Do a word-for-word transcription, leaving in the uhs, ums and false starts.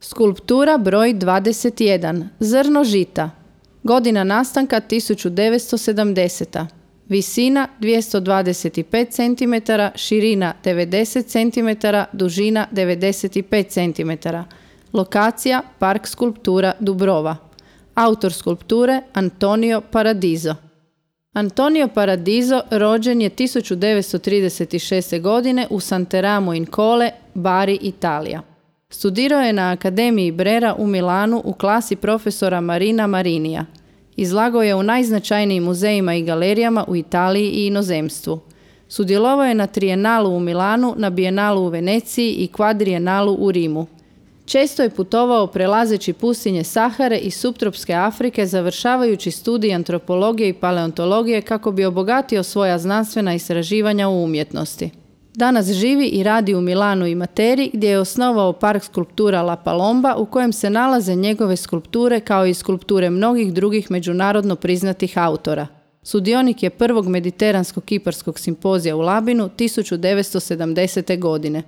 Skulptura broj dvadeset jedan. Zrno žita. Godina nastanka tisuću devetsto sedamdeseta. Visina dvjesto dvadeset pet centimetara, širina devedeset centimetara, dužina devedeset pet centimetara. Lokacija Park skulptura Dubrova. Autor skulpture Antonio Paradiso. Antonio Paradiso rođen je tisuću devetsto trideset šeste. godine u Santeramo in Colle, Bari, Italija. Studirao je na Akademiji Brera u Milanu u klasi profesora Marina Marinija. Izlagao je u najznačajnijim muzejima i galerijama u Italiji i inozemstvu. Sudjelovao je na Trijenalu u Milanu, na Bijenalu u Veneciji i Kvadrijenalu u Rimu. Često je putovao prelazeći pustinje Sahare i suptropske Afrike, završavajući studij antropologije i paleontologije kako bi obogatio svoja znanstvena istraživanja u umjetnosti. Danas živi i radi u Milanu i Materi, gdje je osnovao park skulptura La Palomba u kojem se nalaze njegove skulpture kao i skulpture mnogih drugih međunarodno priznatih autora. Sudionik je prvog mediteranskog kiparskog simpozija u Labinu tisuću devetsto sedamdesete. godine.